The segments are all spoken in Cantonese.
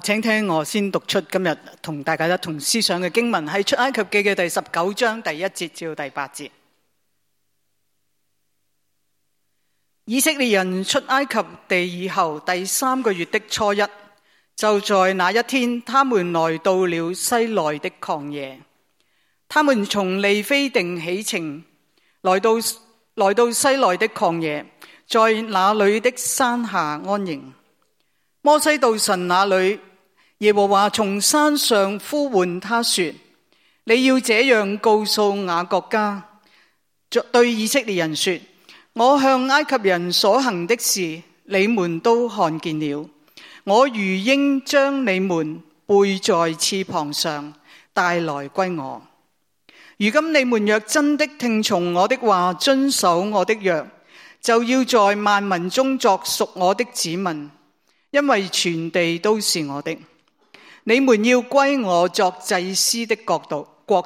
請聽我先讀出今日同大家一同思想嘅經文，係出埃及記嘅第19章第1節至到第8節。以色列人出埃及地以後第3個月的初1，就在那一天，他們來到了西奈的曠野。他們從利非定起程，來到西奈的曠野，在那裏的山下安營。摩西到神那裏，耶和華從山上呼喚他說：你要這樣告訴雅各家，對以色列人說，我向埃及人所行的事，你們都看見了。我如鷹將你們背在翅膀上，帶來歸我。如今你們若真的聽從我的話，遵守我的約，就要在萬民中作屬我的子民，因為全地都是我的。你們要歸我作祭司的國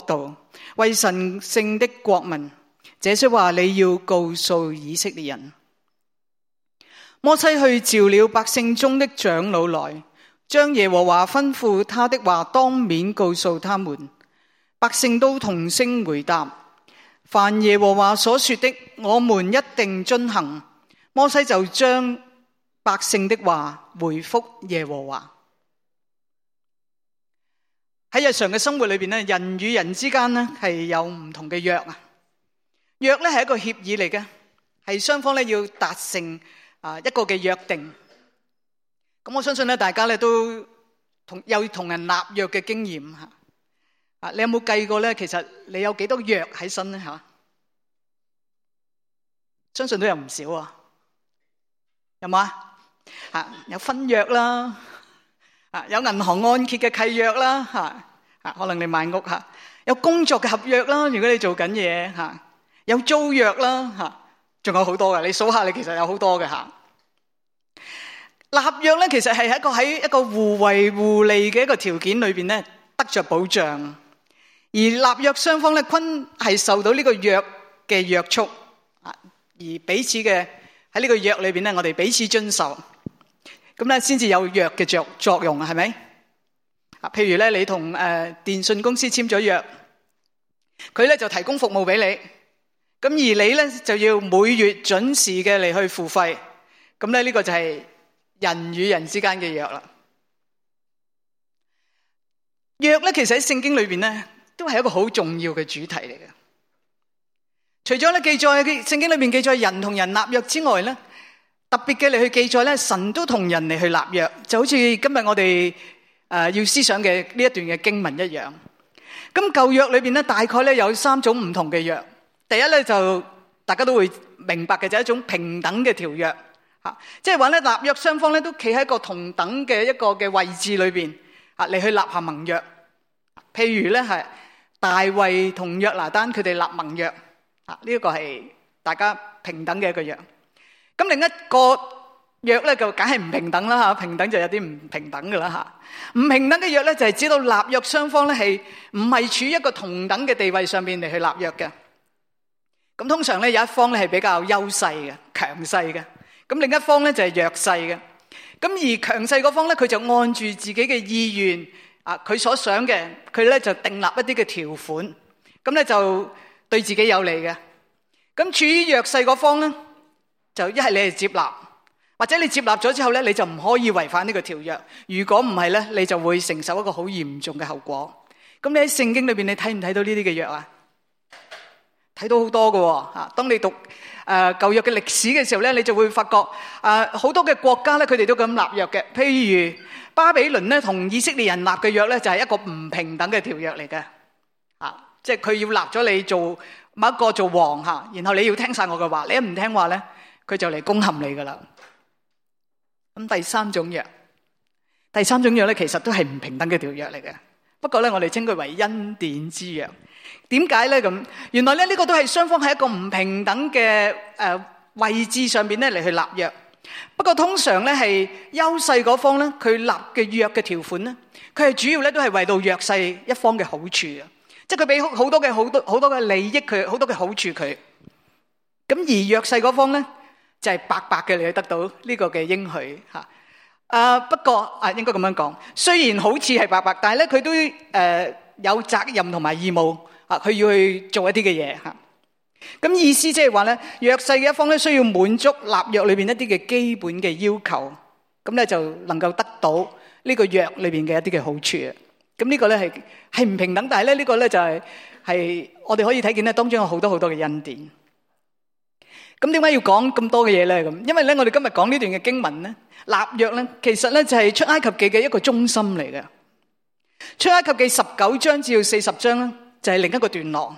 度，為神聖的國民。這些話你要告訴以色列人。摩西去召了百姓中的長老來，將耶和華吩咐他的話當面告訴他們。百姓都同聲回答：凡耶和華所說的，我們一定遵行。摩西就將百姓的話回復耶和華。喺日常嘅生活裏邊咧，人與人之間咧係有唔同嘅約啊。約咧係一個協議嚟嘅，係雙方咧要達成一個嘅約定。咁我相信咧，大家咧都有同人立約嘅經驗吓。你有冇計過咧？其實你有幾多約喺身咧吓？相信都有唔少啊。有冇啊？有婚約啦，有銀行按揭嘅契約啦，可能你買屋有工作嘅合約啦，如果你做緊嘢有租約啦，仲有好多嘅，你數下，你其實有好多嘅立約咧，其實係喺一個互惠互利嘅一個條件裏邊咧，得着保障，而立約雙方咧均係受到呢個約嘅約束，而彼此嘅喺呢個約裏邊咧，我哋彼此遵守，咁咧先至有約嘅作用，係咪？譬如咧，你同電信公司簽咗約，佢咧就提供服務俾你，咁而你咧就要每月準時嘅嚟去付費，咁咧呢個就係人與人之間嘅約啦。約咧其實喺聖經裏邊咧都係一個好重要嘅主題嚟嘅。除咗咧記載聖經裏邊記載人同人立約之外咧，特別嘅嚟去記載咧，神都同人嚟去立約，就好似今日我哋要思想嘅呢一段嘅經文一樣。咁舊約裏邊咧，大概咧有3種唔同嘅約。第一咧就大家都會明白嘅，就係一種平等嘅條約，即係話咧立約雙方咧都企喺一個同等嘅一個嘅位置裏邊嚟去立下盟約。譬如咧係大衛同約拿單佢哋立盟約，呢一個係大家平等嘅一個約。咁另一個約咧就梗係唔平等啦，平等就有啲唔平等噶啦。唔平等嘅約咧就係指到立約雙方咧係唔係處於一個同等嘅地位上面嚟去立約嘅。咁通常咧有一方咧係比較優勢嘅、強勢嘅，咁另一方咧就係弱勢嘅。咁而強勢嗰方咧，佢就按住自己嘅意願佢所想嘅，佢咧就訂立一啲嘅條款，咁咧就對自己有利嘅。咁處於弱勢嗰方咧，就一係你係接納，或者你接納咗之後咧，你就唔可以違反呢個條約。如果唔係咧，你就會承受一個好嚴重嘅後果。咁你喺聖經裏邊，你睇唔睇到呢啲嘅約啊？睇到好多嘅。當你讀舊約嘅歷史嘅時候咧，你就會發覺好多嘅國家咧，佢哋都咁立約嘅。譬如巴比倫咧同以色列人立嘅約咧，就係一個唔平等嘅條約嚟嘅。即係佢要立咗你做某一個做王然後你要聽晒我嘅話，你一唔聽話咧，佢就嚟攻陷你噶啦。咁第三種約咧，其實都係唔平等嘅條約嚟嘅。不過咧，我哋稱佢為恩典之約。點解咧咁？原來咧呢個都係雙方喺一個唔平等嘅位置上邊咧嚟去立約。不過通常咧係優勢嗰方咧，佢立嘅約嘅條款咧，佢係主要咧都係為到弱勢一方嘅好處嘅，即係佢俾好多嘅利益佢，好多嘅好處佢。咁而弱勢嗰方咧就係白白嘅嚟去得到呢個嘅應許吓。不過應該咁樣講，雖然好似係伯伯，但係咧佢都有責任同埋義務佢要去做一啲嘅嘢吓。咁意思即係話咧，弱勢嘅一方咧需要滿足立約裏邊一啲嘅基本嘅要求，咁咧就能夠得到呢個約裏邊嘅一啲嘅好處啊。咁呢個咧係唔平等，但係咧呢個咧就係我哋可以睇見咧當中有好多好多嘅恩典。咁點解要講咁多嘅嘢咧？咁因為咧我哋今日講呢段嘅經文咧，立約咧其實咧就係出埃及記嘅一個中心嚟嘅。出埃及記19章至到40章咧就係另一個段落。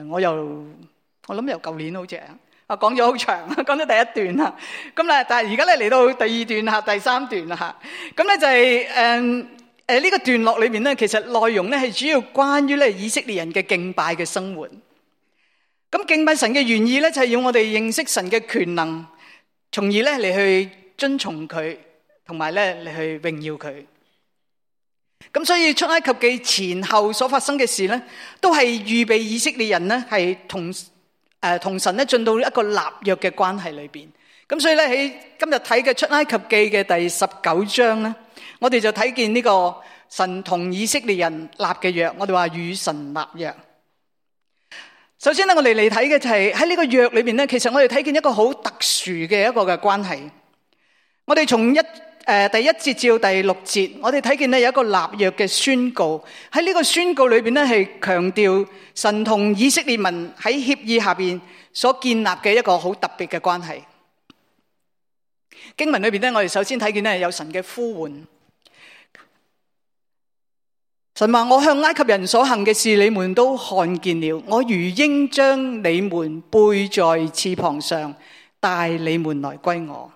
我諗由舊年好似講咗好長，講咗第一段啦。咁咧，但係而家咧嚟到第二段吓，第三段啦吓。咁咧就係呢個段落裏面咧，其實內容咧係主要關於咧以色列人嘅敬拜嘅生活。咁敬拜神嘅原意咧就係要我哋認識神嘅權能，從而咧嚟去遵從佢，同埋咧嚟去榮耀佢。咁所以出埃及記前後所發生嘅事咧，都係預備以色列人咧係同神咧進到一個立約嘅關係裏邊。咁所以咧喺今日睇嘅出埃及記嘅第19章咧，我哋就睇見呢個神同以色列人立嘅約，我哋話與神立約。首先咧，我哋嚟睇嘅就係喺呢個約裏邊咧，其實我哋睇見一個好特殊嘅一個嘅關係。我哋從第一節至到第6節，我哋睇見咧有一個立約嘅宣告。喺呢個宣告裏邊咧，係強調神同以色列民喺協議下邊所建立嘅一個好特別嘅關係。經文裏邊咧，我哋首先睇見咧有神嘅呼喚。神話：我向埃及人所行嘅事，你們都看見了。我如鷹將你們背在翅膀上，帶你們來歸我。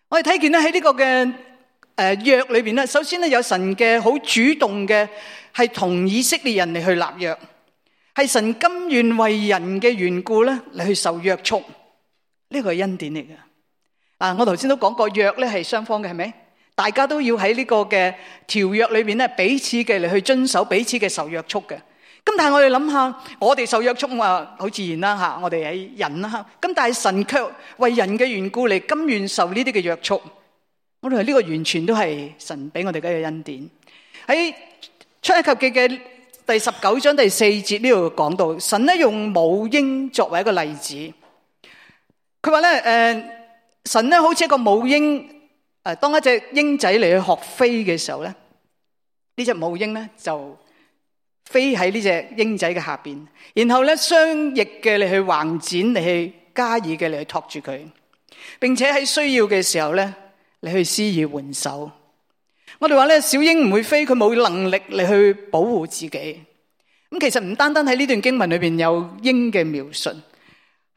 我哋睇見咧喺呢個嘅約裏邊咧，首先咧有神嘅好主動嘅係同以色列人嚟去立約，係神甘願為人嘅緣故咧嚟去受約束，呢個係恩典嚟嘅。我頭先都講過，約咧係雙方嘅，係咪？大家都要喺呢個嘅條約裏邊咧彼此嘅嚟去遵守彼此嘅受約束嘅。咁但係我哋諗下，我哋受約束啊，好自然啦吓，我哋係人啦吓。咁但係神卻為人嘅緣故嚟甘願受呢啲嘅約束，我哋話呢個完全都係神俾我哋嘅恩典。喺出埃及記嘅第19章第4節呢度講到，神咧用母鷹作為一個例子。佢話咧，神咧好似一個母鷹，當一隻鷹仔嚟去學飛嘅時候咧，呢隻母鷹咧就飛喺呢隻鷹仔嘅下邊，然後咧雙翼嘅嚟去橫展，嚟去加以嘅嚟去托住佢，並且喺需要嘅時候咧嚟去施以援手。我哋話咧，小鷹唔會飛，佢冇能力嚟去保護自己。咁其實唔單單喺呢段經文裏邊有鷹嘅描述，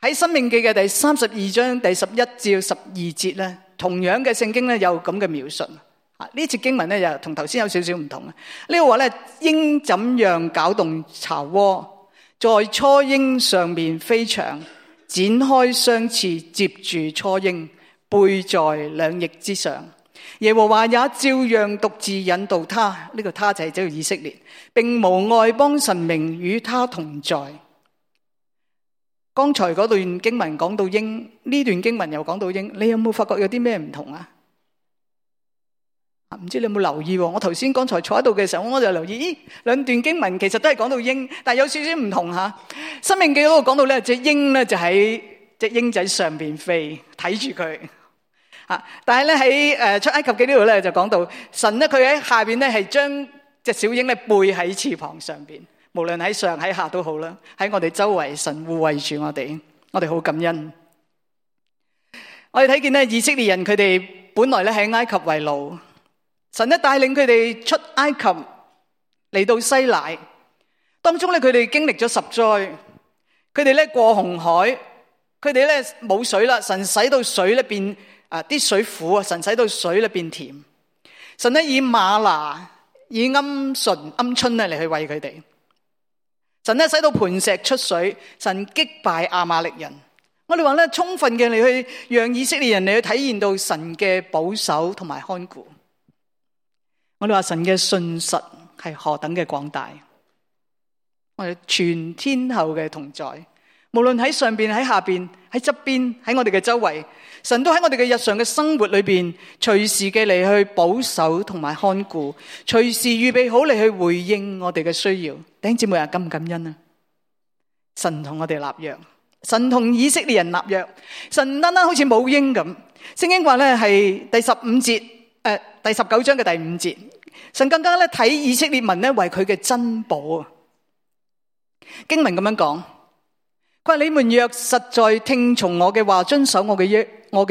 喺申命記嘅第32章第11至12節咧，同樣嘅聖經咧有咁嘅描述。呢節經文咧又同頭先有少少唔同。呢個話咧，鷹怎樣攪動巢窩，在雛鷹上面飛翔，展開雙翅接住雛鷹，背在兩翼之上。耶和華也照樣獨自引導他，呢個他就係指以色列，並無外邦神明與他同在。剛才嗰段經文講到鷹，呢段經文又講到鷹，你有冇發覺有啲咩唔同啊？唔知你有冇留意？我頭先剛才坐喺度嘅時候，我就留意，兩段經文其實都係講到鷹，但係有少少唔同吓。申命記嗰度講到咧，隻鷹咧就喺隻鷹仔上邊飛，睇住佢。但係咧喺出埃及記呢度咧就講到神咧，佢喺下邊咧係將隻小鷹咧背喺翅膀上邊，無論喺上喺下都好啦。喺我哋周圍，神護衛住我哋好感恩。我哋睇見咧，以色列人佢哋本來咧喺埃及為奴。神咧帶領佢哋出埃及嚟到西乃，當中咧佢哋經歷咗10災，佢哋咧過紅海，佢哋咧冇水啦，神使到水咧變啲水苦啊，神使到水咧變甜，神咧以嗎哪以鵪鶉咧嚟去餵佢哋，神咧使到磐石出水，神擊敗亞瑪力人。我哋話咧充分嘅嚟去讓以色列人嚟去體驗到神嘅保守同埋看顧。我哋話神嘅信實係何等嘅廣大，我哋全天候嘅同在，無論喺上邊、喺下邊、喺側邊、喺我哋嘅周圍，神都喺我哋嘅日常嘅生活裏邊，隨時嘅嚟去保守同埋看顧，隨時預備好嚟去回應我哋嘅需要。弟兄姊妹啊，感唔感恩啊？神同我哋立約，神同以色列人立約，神唔單單好似母鷹咁。聖經話咧係第15節，第19章嘅第5節，神更加咧睇以色列民咧為佢嘅珍寶啊。經文咁樣講，佢話你們若實在聽從我嘅話，遵守我嘅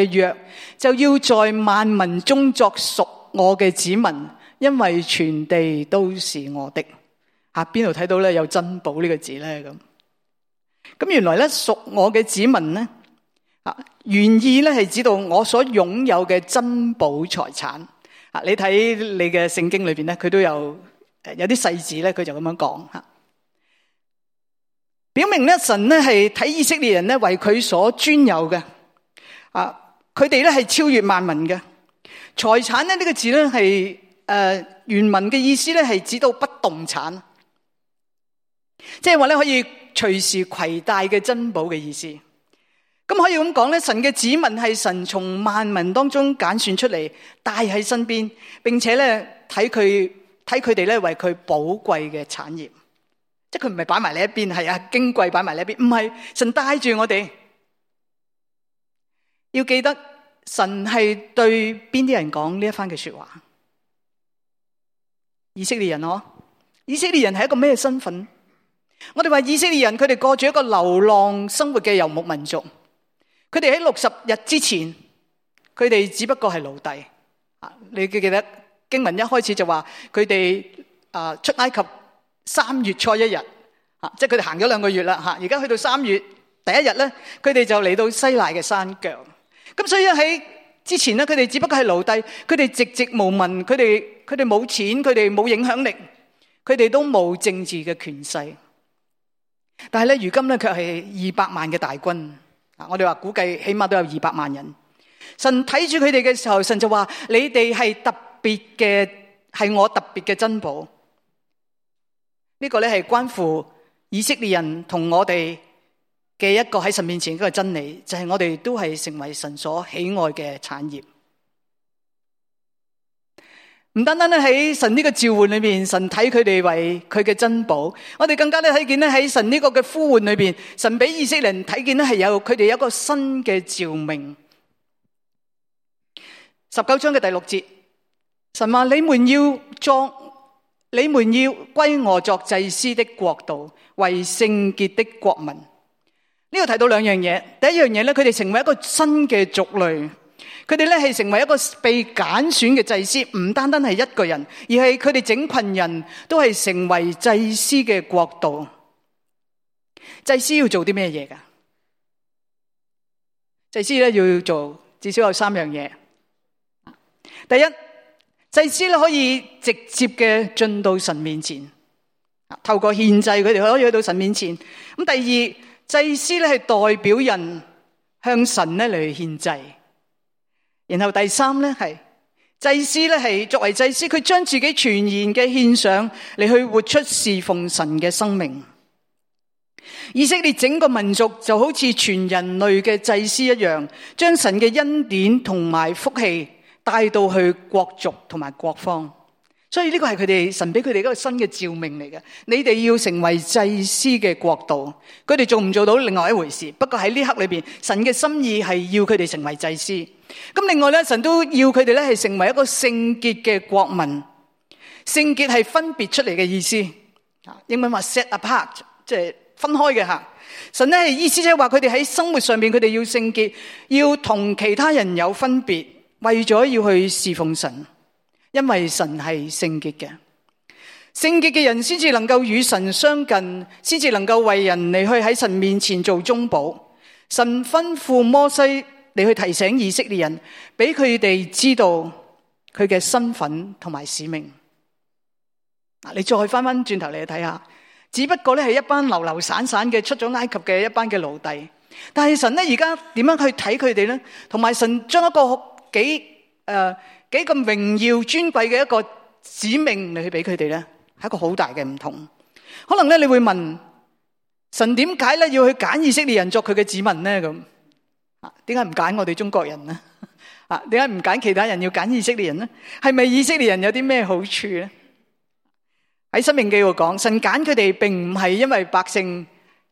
約，就要在萬民中作屬我嘅子民，因為全地都是我的。邊度睇到咧有珍寶呢個字咧？咁原來咧屬我嘅子民咧，原意咧係指到我所擁有嘅珍寶財產。你睇你嘅聖經裏邊咧，佢都有啲細節咧，佢就咁樣講吓，表明咧神咧係睇以色列人咧為佢所專有嘅，佢哋咧係超越萬民嘅財產咧。呢個字咧係原文嘅意思咧係指到不動產，即係話咧可以隨時攜帶嘅珍寶嘅意思。咁可以咁講咧，神嘅子民係神從萬民當中揀選出嚟，帶喺身邊，並且咧睇佢哋咧為佢寶貴嘅產業。即係佢唔係擺埋你一邊，係矜貴擺埋你一邊，唔係，神帶住我哋。要記得神係對邊啲人講呢一番嘅說話？以色列人咯，以色列人係一個咩身份？我哋話以色列人，佢哋過住一個流浪生活嘅游牧民族。佢哋喺60日之前，佢哋只不過係奴隸。你記得經文一開始就話佢哋出埃及3月初1日，即係佢哋行咗2個月啦。而家去到3月第1日咧，佢哋就嚟到西奈嘅山腳。咁所以喺之前咧，佢哋只不過係奴隸，佢哋籍籍無聞，佢哋冇錢，佢哋冇影響力，佢哋都冇政治嘅權勢。但係咧，如今咧卻係200萬嘅大軍。我哋話估計起碼都有200萬人。神睇住佢哋嘅時候，神就話：你哋係特別嘅，係我特別嘅珍寶。呢個咧係關乎以色列人同我哋嘅一個喺神面前嘅真理，就係我哋都係成為神所喜愛嘅產業。唔單單咧喺神呢個召喚裏面，神睇佢哋為佢嘅珍寶，我哋更加咧睇見咧喺神呢個嘅呼喚裏邊，神俾以色列人睇見咧係有佢哋有一個新嘅召命。19章嘅第6節，神話你們要歸我作祭司的國度，為聖潔的國民。呢度睇到2樣嘢，第一樣嘢咧，佢哋成為一個新嘅族類。佢哋咧係成為一個被揀選嘅祭司，唔單單係一個人，而係佢哋整群人都係成為祭司嘅國度。祭司要做啲咩嘢㗎？祭司咧要做至少有3樣嘢。第一，祭司咧可以直接嘅進到神面前，透過獻祭，佢哋可以去到神面前。咁第二，祭司咧係代表人向神咧嚟獻祭。然後第三咧係祭司咧係作為祭司，佢將自己全然嘅獻上嚟去活出侍奉神嘅生命。以色列整個民族就好似全人類嘅祭司一樣，將神嘅恩典同埋福氣帶到去國族同埋國方。所以呢個係佢哋神俾佢哋一個新嘅召命嚟嘅。你哋要成為祭司嘅國度，佢哋做唔做到另外一回事。不過喺呢刻裏邊，神嘅心意係要佢哋成為祭司。咁另外咧，神都要佢哋咧係成為一個聖潔嘅國民。聖潔係分別出嚟嘅意思，英文話 set apart， 即係分開嘅吓。神咧係意思即係話佢哋喺生活上面，佢哋要聖潔，要同其他人有分別，為咗要去侍奉神。因為神係聖潔嘅，聖潔嘅人先至能夠與神相近，先至能夠為人嚟去喺神面前做中保。神吩咐摩西嚟去提醒以色列人，俾佢哋知道佢嘅身份同埋使命。你再翻翻轉頭嚟睇下，只不過咧係一班流流散散嘅出咗埃及嘅一班嘅奴隸，但係神咧而家點樣去睇佢哋咧？同埋神將一個幾咁榮耀尊貴嘅一個使命嚟去俾佢哋咧，係一個好大嘅唔同。可能咧你會問，神點解咧要去揀以色列人作佢嘅子民呢？咁點解唔揀我哋中國人呢？點解唔揀其他人，要揀以色列人呢？係咪以色列人有啲咩好處呢？喺申命記度講，神揀佢哋並唔係因為百姓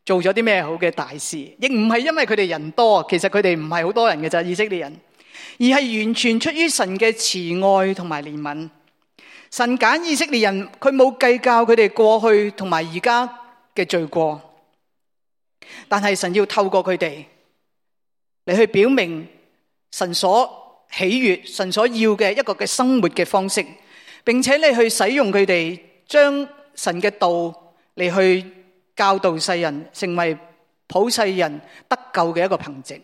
做咗啲咩好嘅大事，亦唔係因為佢哋人多，其實佢哋唔係好多人嘅咋，以色列人，而係完全出於神嘅慈愛同埋憐憫。神揀以色列人，佢冇計較佢哋過去同埋而家嘅罪過，但係神要透過佢哋嚟去表明神所喜悅、神所要嘅一個嘅生活嘅方式，並且你去使用佢哋，將神嘅道嚟去教導世人，成為普世人得救嘅一個憑藉。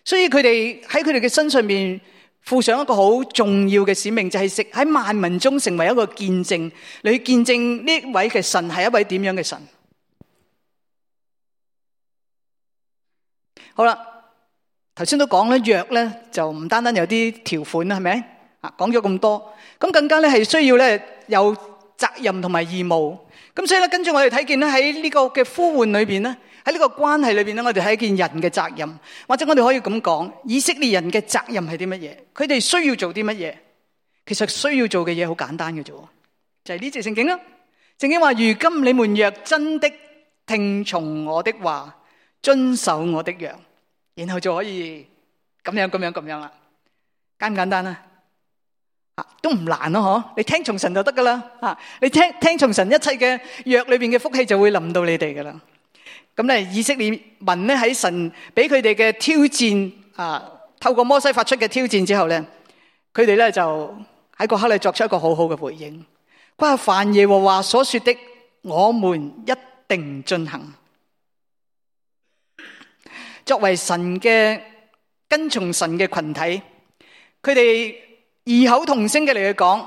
所以佢哋喺佢哋嘅身上面負上一個好重要嘅使命，就係喺萬民中成為一個見證，嚟去見證呢位嘅神係一位點樣嘅神。好啦，頭先都講啦，約咧就唔單單有啲條款啦，係咪？講咗咁多，咁更加咧係需要咧有責任同埋義務。咁所以咧，跟住我哋睇見咧喺呢個嘅呼喚裏邊咧，喺呢個關係裏邊咧，我哋睇見人嘅責任，或者我哋可以咁講，以色列人嘅責任係啲乜嘢？佢哋需要做啲乜嘢？其實需要做嘅嘢好簡單嘅啫，就係呢節聖經啦。聖經話：如今你們若真的聽從我的話，遵守我的約，然後就可以咁樣啦。簡唔簡單啊？都唔難咯，嗬！你聽從神就得噶啦，你聽從神一切嘅約裏邊嘅福氣就會臨到你哋噶啦。咁咧，以色列民咧喺神俾佢哋嘅挑戰透過摩西發出嘅挑戰之後咧，佢哋咧就喺嗰刻咧作出一個好好嘅回應。佢話：凡耶和華所說的，我們一定進行。作為神嘅跟從神嘅群體，佢哋異口同聲嘅嚟去講，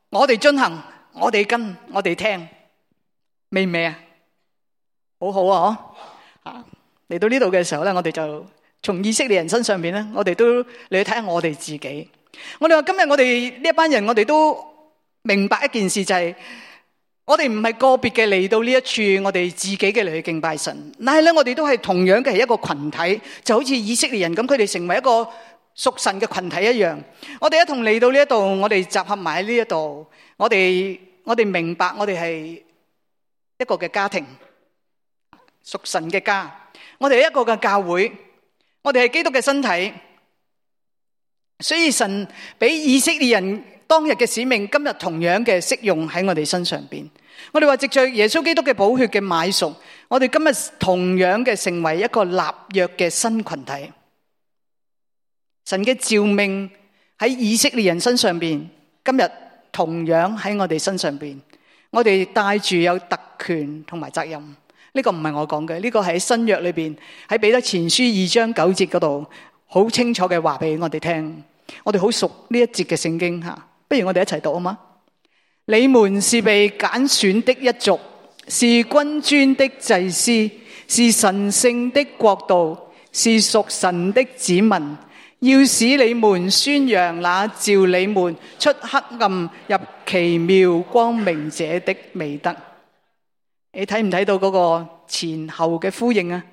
我哋進行，我哋跟，我哋聽，美唔美啊？好好啊！嚟到呢度嘅時候咧，我哋就從以色列人身上邊咧，我哋都嚟去睇下我哋自己。我哋話今日我哋呢一班人，我哋都明白一件事，就係我哋唔係個別嘅嚟到呢一處，我哋自己嘅嚟去敬拜神，但係咧我哋都係同樣嘅係一個群體，就好似以色列人咁，佢哋成為一個屬神嘅群體一樣。我哋一同嚟到呢一度，我哋集合埋喺呢一度，我哋明白我哋係一個嘅家庭，屬神嘅家。我哋係一個嘅教會，我哋係基督嘅身體。所以神俾以色列人當日嘅使命，今日同樣嘅適用喺我哋身上邊。我哋話藉着耶穌基督嘅寶血嘅買贖，我哋今日同樣嘅成為一個立約嘅新群體。神嘅召命喺以色列人身上邊，今日同樣喺我哋身上邊。我哋帶住有特權同埋責任。呢個唔係我講嘅，呢個係喺新約裏邊，喺彼得前書2章9節嗰度好清楚嘅話俾我哋聽。我哋好熟呢一節嘅聖經吓，不如我哋一齊讀啊嘛。你們是被揀選的一族，是君尊的祭司，是神聖的國度，是屬神的子民，要使你們宣揚那召你們出黑暗入奇妙光明者的美德。你睇唔睇到嗰個前後嘅呼應啊？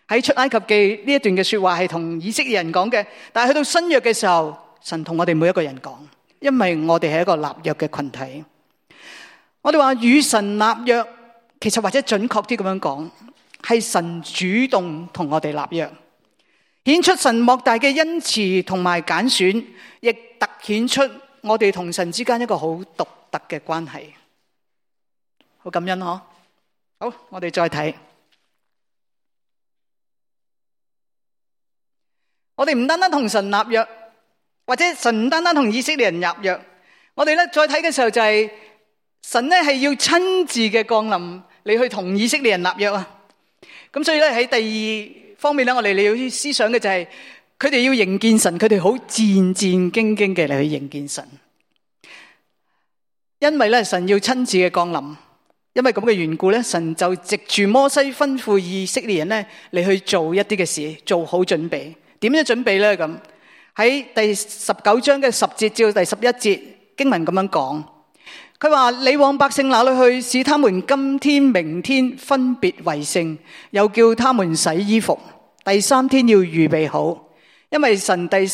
喺出埃及記呢一段嘅說話係同以色列人講嘅，但係去到新約嘅時候，神同我哋每一個人講，因為我哋係一個立約嘅群體。我哋話與神立約，其實或者準確啲咁樣講，係神主動同我哋立約，顯出神莫大嘅恩慈同埋揀選，亦凸顯出我哋同神之間一個好獨特嘅關係。好感恩嗬！好，我哋再睇。我哋唔單單同神立約，或者神唔單單同以色列人立約，我哋咧再睇嘅時候就係神咧係要親自嘅降臨，你去同以色列人立約啊。咁所以咧喺第二方面咧，我哋要思想嘅就係佢哋要迎見神，佢哋好戰戰兢兢嘅嚟去迎見神，因為咧神要親自嘅降臨。因為咁嘅緣故咧，神就藉住摩西吩咐以色列人咧嚟去做一啲嘅事，做好準備。點樣準備咧？咁喺第19章嘅10節至到第11節經文咁樣講，佢話：你往百姓那裏去，使他們今天、明天分別為聖，又叫他們洗衣服。第三天要預備好，因為第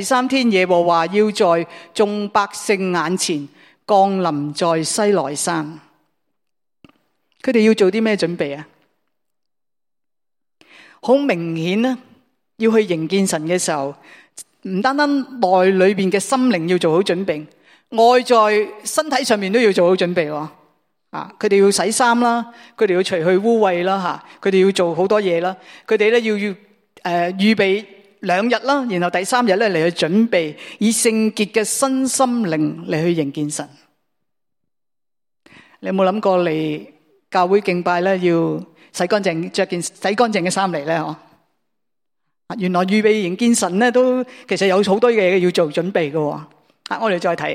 三天耶和華要在眾百姓眼前降臨在西奈山。佢哋要做啲咩準備啊？好明顯呢，要去迎見神嘅時候，唔單單內裏邊嘅心靈要做好準備，外在身體上面都要做好準備。佢哋要洗衫啦，佢哋要除去污穢啦，佢哋要做好多嘢啦，佢哋咧要預備2日啦，然後第3日咧嚟去準備，以聖潔嘅身心靈嚟去迎見神。你有冇諗過嚟教會敬拜咧要洗乾淨，着件洗乾淨嘅衫嚟咧？原來預備迎見神咧，都其實有好多嘢要做準備嘅。我哋再睇，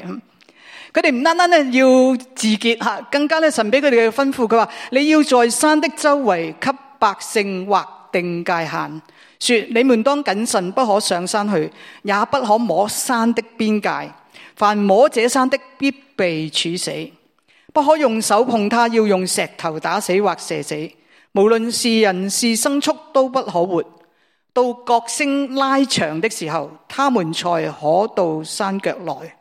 佢哋唔單單咧要自潔，更加咧神俾佢哋嘅吩咐，佢話你要在山的周圍給百姓劃定界限，說你們當謹慎，不可上山去，也不可摸山的邊界，凡摸這山的必被處死，不可用手碰它，要用石頭打死或射死，無論是人是牲畜都不可活。到角聲拉長的時候，他們才可到山腳來。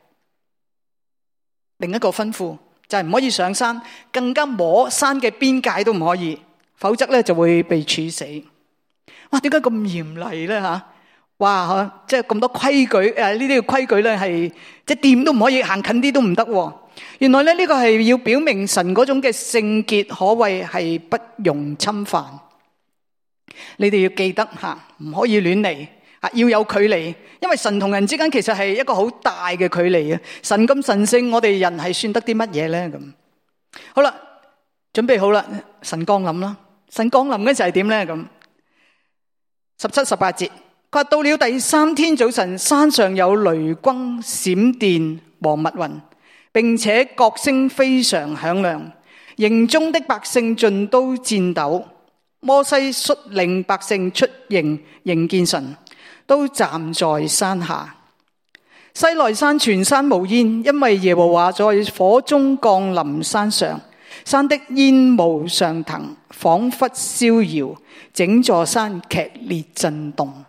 另一個吩咐就係唔可以上山，更加摸山嘅邊界都唔可以，否則咧就會被處死。哇！點解咁嚴厲咧吓？哇！即係咁多規矩，呢啲嘅規矩咧係即係掂都唔可以，行近啲都唔得。原來咧呢個係要表明神嗰種嘅聖潔，可謂係不容侵犯。你哋要記得唔可以亂嚟，要有距離，因為神同人之間其實係一個好大嘅距離。神咁神聖，我哋人係算得啲乜嘢咧？咁好啦，準備好啦，神降臨啦。神降臨嘅就係點咧？咁17、18節，佢話到了第3天早晨，山上有雷轟、閃電和密雲，並且角聲非常響亮，營中的百姓盡都顫抖。摩西率領百姓出營迎見神，都站在山下。西奈山全山冒煙，因為耶和華在火中降臨山上，山的煙霧上騰，仿佛燒窯，整座山劇烈震動。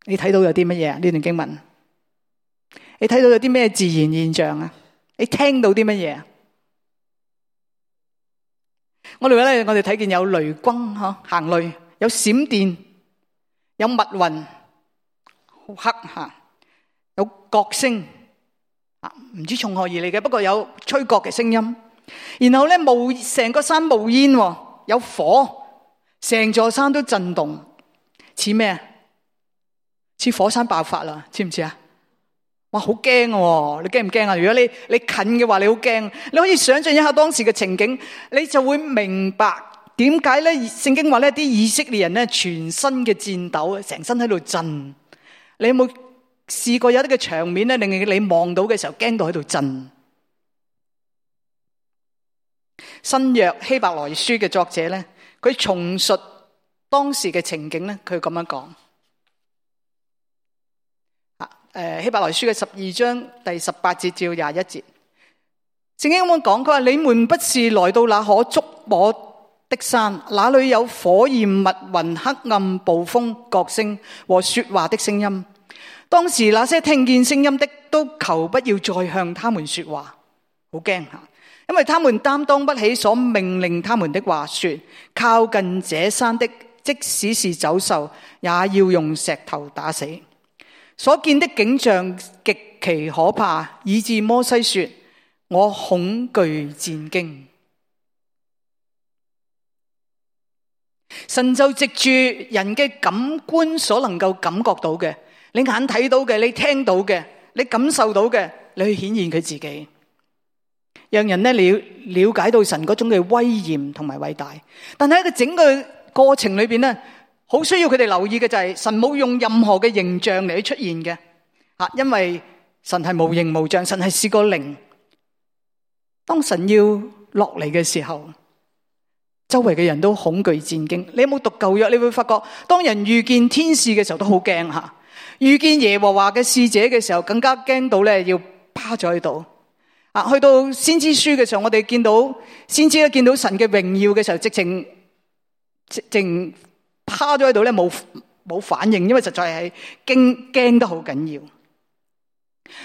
你睇到有啲乜嘢啊？呢段經文，你睇到有啲咩自然現象啊？你聽到啲乜嘢啊？我哋睇見有雷轟行雷，有閃電，有密雲，好黑有角聲唔知從何而嚟嘅，不過有吹角嘅聲音。然後咧成個山冒煙，有火，成座山都震動，似咩啊？似火山爆發啦，知唔知啊？哇，好驚喎！你驚唔驚啊？如果你近嘅話，你好驚。你可以想象一下當時嘅情景，你就會明白點解咧聖經話咧啲以色列人咧全身嘅顫抖，成身喺度震。你有冇試過有啲嘅場面咧，令你望到嘅時候驚到喺度震？新約希伯來書嘅作者咧，佢重述當時嘅情景咧，佢咁樣講。希伯來書嘅12章第18節至21節，聖經咁樣講，佢話你們不是來到那可觸摸的山，那裏有火焰、密雲、黑暗、暴風、角聲和說話的聲音。當時那些聽見聲音的都求不要再向他們說話，好驚吓，因為他們擔當不起所命令他們的話，說靠近這山的，即使是走獸，也要用石頭打死。所見的景象極其可怕，以致摩西說：我恐懼戰驚。神就藉住人嘅感官所能夠感覺到嘅，你眼睇到嘅，你聽到嘅，你感受到嘅，你去顯現佢自己，讓人了解到神嗰種嘅威嚴同埋偉大。但係喺個整個過程裏邊咧，好需要佢哋留意嘅就係神冇用任何嘅形象嚟去出現嘅，因為神係無形無象，神係是個靈。當神要落嚟嘅時候，周圍嘅人都恐懼戰驚。你有冇讀舊約？你會發覺，當人遇見天使嘅時候都好驚吓，遇見耶和華嘅使者嘅時候更加驚到咧，要趴咗喺度。去到先知書嘅時候，我哋見到先知咧見到神嘅榮耀嘅時候，直情趴咗喺度咧，冇反應，因為實在係驚得好緊要。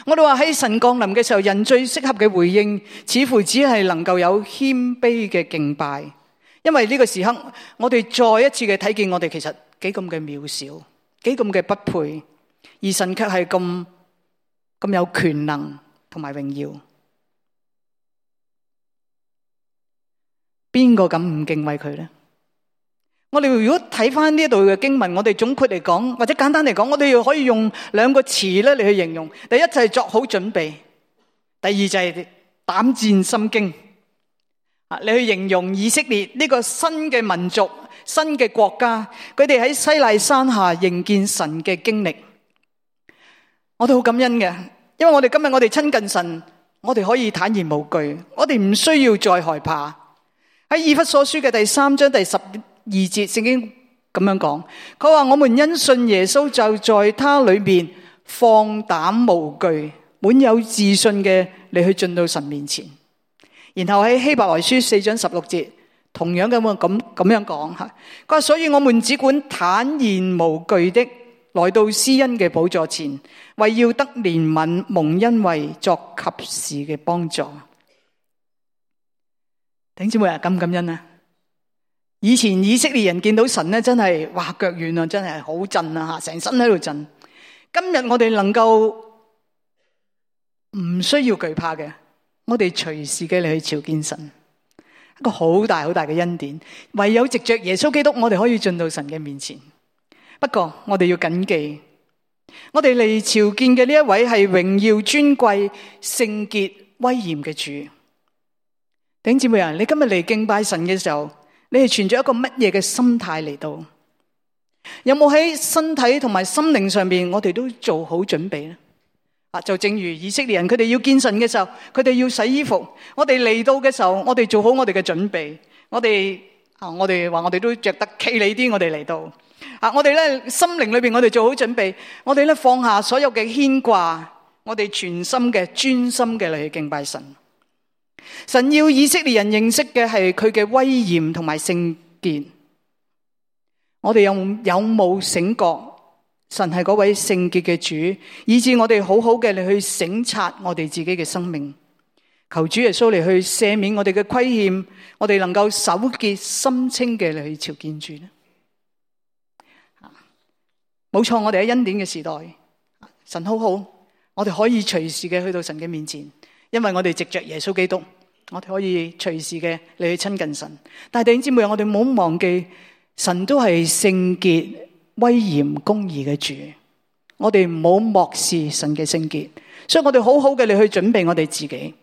我哋話喺神降臨嘅時候，人最適合嘅回應，似乎只係能夠有謙卑嘅敬拜，因為呢個時刻，我哋再一次嘅睇見我哋其實幾咁嘅渺小，幾咁嘅不配，而神卻係咁有權能同埋榮耀。邊個敢唔敬畏佢呢？我哋如果睇翻呢一度嘅經文，我哋總括嚟講，或者簡單嚟講，我哋又可以用兩個詞咧嚟去形容。第一就係作好準備，第二就係膽戰心驚。你去形容以色列呢個新嘅民族、新嘅國家，佢哋喺西奈山下迎見神嘅經歷，我哋好感恩嘅，因為我哋今日我哋親近神，我哋可以坦然無懼，我哋唔需要再害怕。喺以弗所書嘅第3章第12節，聖經咁樣講，佢話我們因信耶穌，就在他裏面放膽無懼，滿有自信嘅你去進到神面前。然後喺希伯來書4章16節，同樣咁樣講吓，佢話所以我們只管坦然無懼的來到施恩嘅寶座前，為要得憐憫蒙恩惠，作及時嘅幫助。弟兄姊妹啊，感唔感恩啊？以前以色列人見到神咧，真係哇腳軟啊，真係好震啊吓，成身喺度震。今日我哋能夠唔需要懼怕嘅，我哋隨時嘅嚟去朝見神，一個好大好大嘅恩典。唯有藉着耶穌基督，我哋可以進到神嘅面前。不過我哋要謹記，我哋嚟朝見嘅呢一位係榮耀尊貴、聖潔、威嚴嘅主。弟兄姊妹啊，你今日嚟敬拜神嘅時候，你係存咗一個乜嘢嘅心態嚟到？有冇喺身體同埋心靈上面，我哋都做好準備呢？就正如以色列人，佢哋要見神嘅時候，佢哋要洗衣服。我哋嚟到嘅時候，我哋做好我哋嘅準備。我哋話我哋都着得企理啲，我哋嚟到。我哋咧心靈裏邊，我哋做好準備。我哋咧放下所有嘅牽掛，我哋全心嘅專心嘅嚟去敬拜神。神要以色列人認識嘅係佢嘅威嚴同埋聖潔。我哋有冇醒覺神係嗰位聖潔嘅主，以致我哋好好嘅嚟去省察我哋自己嘅生命，求主耶穌嚟去赦免我哋嘅虧欠，我哋能夠手潔心清嘅嚟去朝見主呢？冇錯，我哋喺恩典嘅時代，神好好，我哋可以隨時嘅去到神嘅面前，因為我哋藉着耶穌基督，我哋可以隨時嘅嚟去親近神。但係弟兄姊妹，我哋唔好忘記，神都係聖潔、威嚴、公義嘅主，我哋唔好漠視神嘅聖潔，所以我哋好好嘅嚟去準備我哋自己。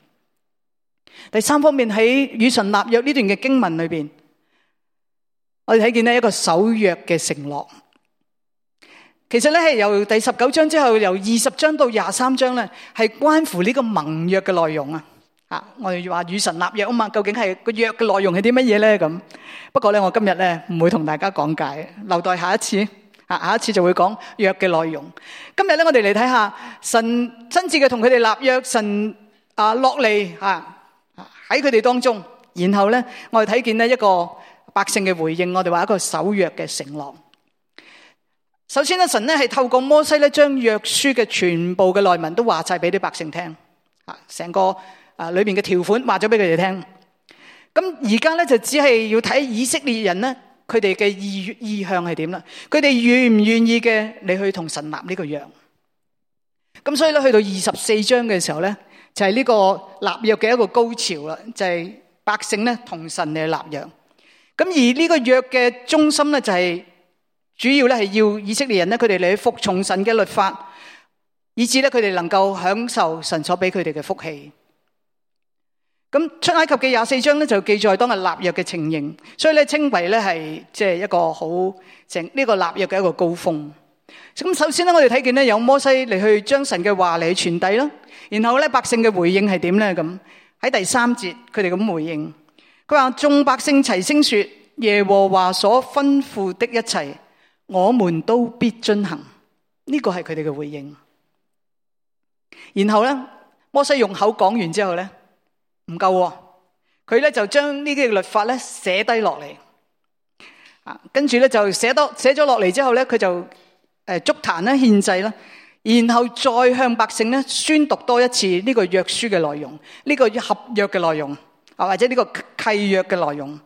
第三方面，喺與神立約呢段嘅經文裏邊，我哋睇見呢一個守約嘅承諾。其實咧係由第19章之後，由20章到23章咧，係關乎呢個盟約嘅內容啊。我哋話與神立約啊嘛，究竟係個約嘅內容係啲乜嘢咧？咁不過咧，我今日咧唔會同大家講解，留待下一次。下一次就會講約嘅內容。今日咧，我哋嚟睇下神親自嘅同佢哋立約，神落嚟喺佢哋當中，然後咧我哋睇見呢一個百姓嘅回應，我哋話一個守約嘅承諾。首先咧，神咧係透過摩西咧將約書嘅全部嘅內文都話晒俾啲百姓聽，成個裏邊嘅條款話咗俾佢哋聽。咁而家咧就只係要睇以色列人咧，佢哋嘅意向係點啦？佢哋願唔願意嘅你去同神立呢個約？咁所以咧去到24章嘅時候咧，就係呢個立約嘅一個高潮啦，就係百姓咧同神嚟立約。咁而呢個約嘅中心咧就係主要咧係要以色列人咧，佢哋嚟去服從神嘅律法，以致咧佢哋能夠享受神所俾佢哋嘅福氣。咁出埃及嘅24章咧就記載當日立約嘅情形，所以咧稱為咧係即係一個好呢個立約嘅一個高峰。咁首先咧我哋睇見咧有摩西嚟去將神嘅話嚟去傳遞啦，然後咧百姓嘅回應係點咧？咁喺第3節佢哋咁回應，佢話眾百姓齊聲說，耶和華所吩咐的一切，我們都必遵行。呢個係佢哋嘅回應。然後咧摩西用口講完之後咧，唔夠喎，佢咧就將呢啲律法咧寫低落嚟，跟住咧就寫咗落嚟之後咧，佢就築壇啦、獻祭啦，然後再向百姓咧宣讀多一次呢個約書嘅內容，呢個合約嘅內容或者呢個契約嘅內容。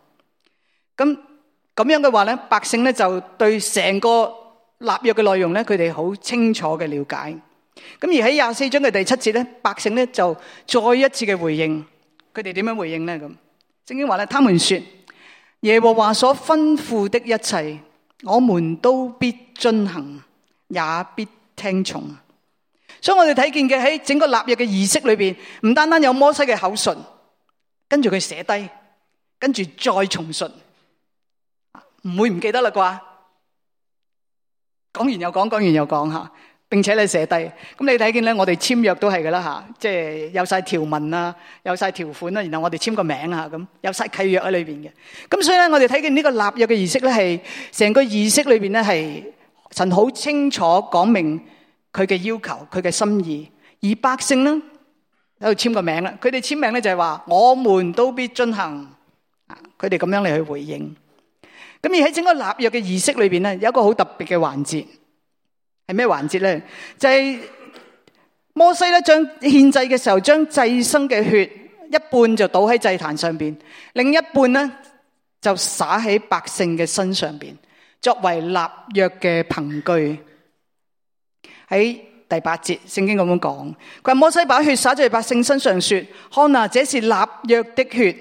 咁樣嘅話咧，百姓咧就對成個立約嘅內容咧，佢哋好清楚嘅了解。咁而喺24章嘅第7節咧，百姓咧就再一次嘅回應，佢哋點樣回應咧？咁聖經話咧，他們說耶和華所吩咐的一切，我們都必遵行，也必聽從。所以我哋睇見嘅喺整個立約嘅儀式裏邊，唔單單有摩西嘅口述，跟住佢寫低，跟住再重述，唔會唔記得啦啩？講完又講，講完又講吓，並且你寫低。咁你睇見咧，我哋簽約都係噶啦吓，即係有晒條文啊，有晒條款啦，然後我哋簽個名啊，咁有晒契約喺裏邊嘅。咁所以咧，我哋睇見呢個立約嘅儀式咧，係成個儀式裏邊咧，係神好清楚講明佢嘅要求，佢嘅心意。而百姓咧喺度簽個名啦，佢哋簽名咧就係話我們都必遵行，佢哋咁樣嚟去回應。咁而喺整個立約嘅儀式裏邊咧，有一個好特別嘅環節，係咩環節咧？就係摩西咧將獻祭嘅時候，將祭牲嘅血一半就倒喺祭壇上邊，另一半咧就灑喺百姓嘅身上邊，作為立約嘅憑據。喺第8節，聖經咁樣講，佢話摩西把血灑在百姓身上，說：看啊，這是立約的血，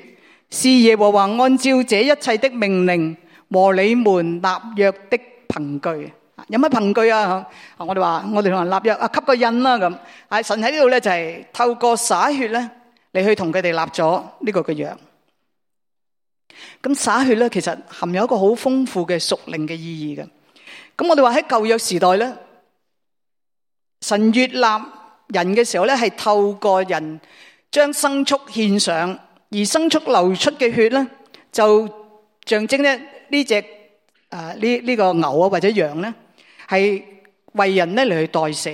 是耶和華按照這一切的命令和你們立約的憑據。有乜憑據啊？我哋話我哋同人立約啊，給個印啦咁。神喺呢度咧就係透過灑血咧嚟去同佢哋立咗呢個嘅約。咁灑血咧其實含有一個好豐富嘅屬靈嘅意義嘅。咁我哋話喺舊約時代咧，神悅納人嘅時候咧係透過人將牲畜獻上，而牲畜流出嘅血咧就象徵咧呢隻呢個牛啊或者羊咧係為人咧嚟去代死，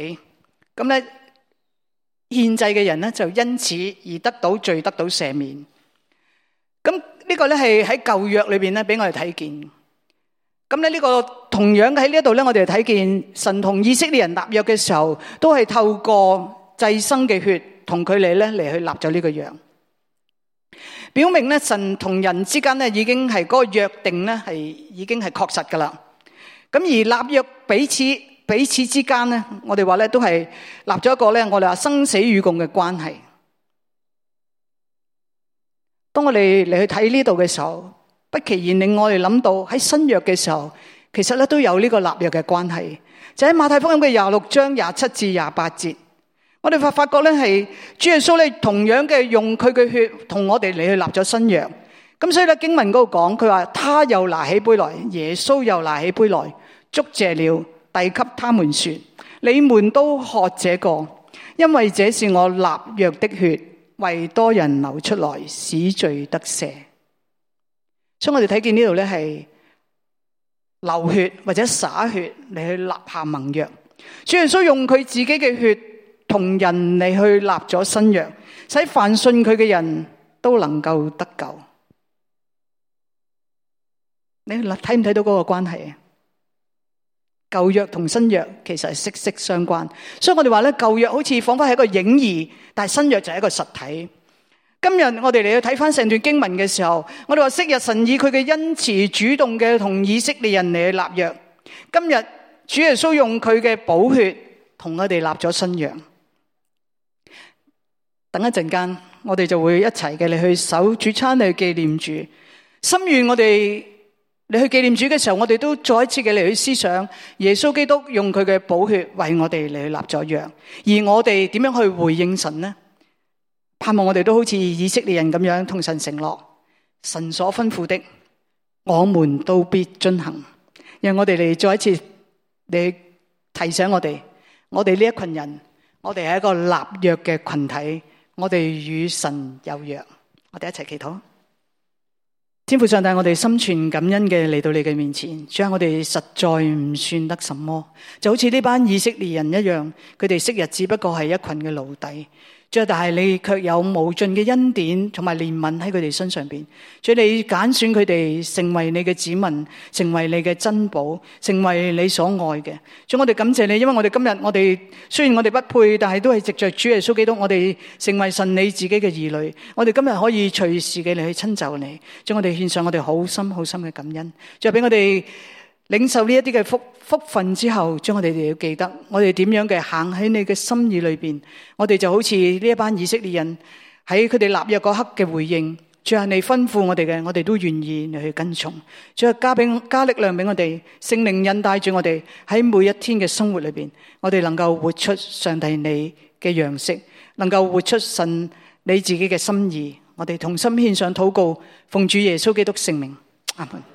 咁咧獻祭嘅人咧就因此而得到罪，得到赦免。咁呢個咧係喺舊約裏邊咧俾我哋睇見。咁咧呢個同樣喺呢一度咧，我哋睇見神同以色列人立約嘅時候，都係透過祭牲嘅血同佢哋咧嚟去立咗呢個約。表明咧，神同人之間咧已經係嗰個約定咧係已經係確實噶啦。咁而立約彼此之間咧，我哋話咧都係立咗一個咧，我哋話生死與共嘅關係。當我哋嚟去睇呢度嘅時候，不期然令我哋諗到喺新約嘅時候，其實咧都有呢個立約嘅關係。就喺馬太福音嘅26章27至28節。我哋發覺咧係主耶穌咧同樣嘅用佢嘅血同我哋嚟去立咗新約，咁所以咧經文嗰度講，佢話他又拿起杯來，耶穌又拿起杯來，祝謝了，遞給他們說：你們都喝這個，因為這是我立約的血，為多人流出來，使罪得赦。所以我哋睇見呢度咧係流血或者灑血嚟去立下盟約，主耶穌用佢自己嘅血同人嚟去立咗新約，使凡信佢嘅人都能夠得救。你睇唔睇到嗰個關係啊？舊約同新約其實係息息相關，所以我哋話咧舊約好似仿佛係一個影兒，但係新約就係一個實體。今日我哋嚟去睇翻成段經文嘅時候，我哋話昔日神以佢嘅恩慈主動嘅同以色列人嚟去立約，今日主耶穌用佢嘅寶血同我哋立咗新約。等一陣間，我哋就會一齊嘅嚟去守主餐嚟去紀念主。心願我哋嚟去紀念主嘅時候，我哋都再一次嘅嚟去思想耶穌基督用佢嘅寶血為我哋嚟去立咗約，而我哋點樣去回應神呢？盼望我哋都好似以色列人咁樣同神承諾，神所吩咐的，我們都必遵行。讓我哋嚟再一次嚟提醒我哋呢一群人，我哋係一個立約嘅群體。我哋與神有約，我哋一齊祈禱。天父上帝，我哋心存感恩嘅嚟到你嘅面前，主啊，我哋實在唔算得什麼，就好似呢班以色列人一樣，佢哋昔日只不過係一群嘅奴隸。主啊，但係你卻有無盡嘅恩典同埋憐憫喺佢哋身上邊。主啊，你揀選佢哋成為你嘅子民，成為你嘅珍寶，成為你所愛嘅。主，我哋感謝你，因為我哋今日我哋雖然我哋不配，但係都係藉着主耶穌基督，我哋成為神你自己嘅兒女。我哋今日可以隨時嘅嚟去親就你，將我哋獻上我哋好深好深嘅感恩。再俾我哋領受呢一啲嘅福分之後，將我哋要記得，我哋點樣嘅行喺你嘅心意裏邊，我哋就好似呢一班以色列人喺佢哋立約嗰刻嘅回應。主啊，你吩咐我哋嘅，我哋都願意嚟去跟從。主啊，加力量俾我哋，聖靈引帶住我哋喺每一天嘅生活裏邊，我哋能夠活出上帝你嘅樣式，能夠活出神你自己嘅心意。我哋同心獻上禱告，奉主耶穌基督聖名，阿門。